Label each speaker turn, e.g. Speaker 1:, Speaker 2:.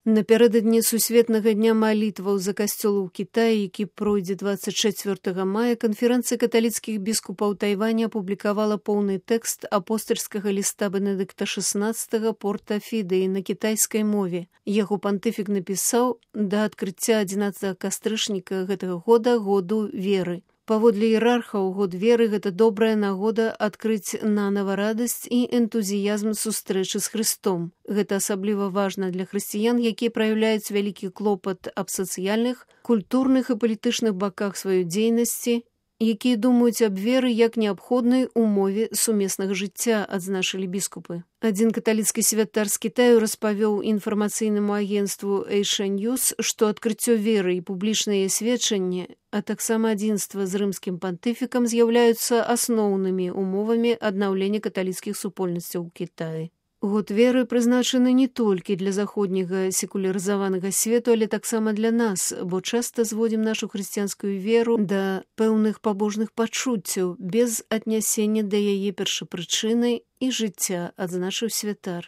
Speaker 1: Напярэдадні Сусветнага дня малітваў за касцёл у Кітаі, які пройдзе 24 мая, канферэнцыя каталіцкіх біскупаў Тайваня апублікавала поўны тэкст апостальскага ліста Бенедыкта XVI Порта Фідеі на кітайскай мове. Яго пантыфік напісаў да адкрыцця 11 кастрычніка гэтага года году веры. Паводле іерархаў, год веры – гэта добрая нагода адкрыць нанава радасць і энтузіязм сустрэчы з Христом. Гэта асабліва важна для хрысціян, якія праяўляюць вялікі клопат аб сацыяльных, культурных і палітычных баках сваёй дзейнасці, якія думаюць аб веры як неабходнай умове сумеснага жыцця, адзначылі біскупы. Адзін каталіцкі святар з Кітаю распавёў інфармацыйнаму агенцтву Asia News, што адкрыццё веры і публічнае сведчанне, а таксама адзінства з рымскім пантыфікам з'яўляюцца асноўнымі умовамі аднаўлення каталіцкіх супольнасцяў у Кітаі. Год веры прызначаны не толькі для заходняга секулярызаванага свету, але таксама для нас, бо часта зводзім нашу хрысціянскую веру да пэўных пабожных пачуццяў без аднясення да яе першапрычыны і жыцця, адзначыў святар.